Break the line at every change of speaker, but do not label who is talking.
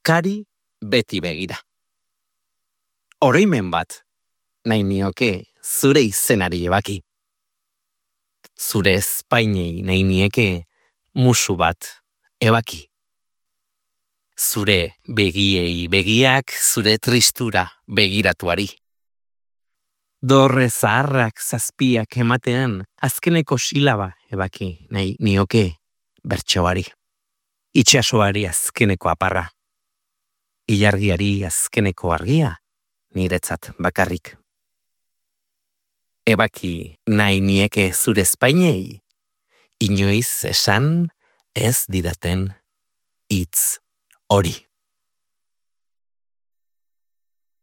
Kari beti begira. Oroimen bat, nahi nioke zure izenari ebaki. Zure ezpainei nahi nieke musu bat ebaki. Zure begiei begiak zure tristura begiratuari. Dorre zaharrak zazpiak ematean azkeneko silaba ebaki nahi nioke bertsoari. Itxasoari azkeneko aparra. Ilargiari azkeneko argia niretzat bakarrik. Ebaki nahi nieke zure ezpainei, inoiz esan ez didaten hitz hori.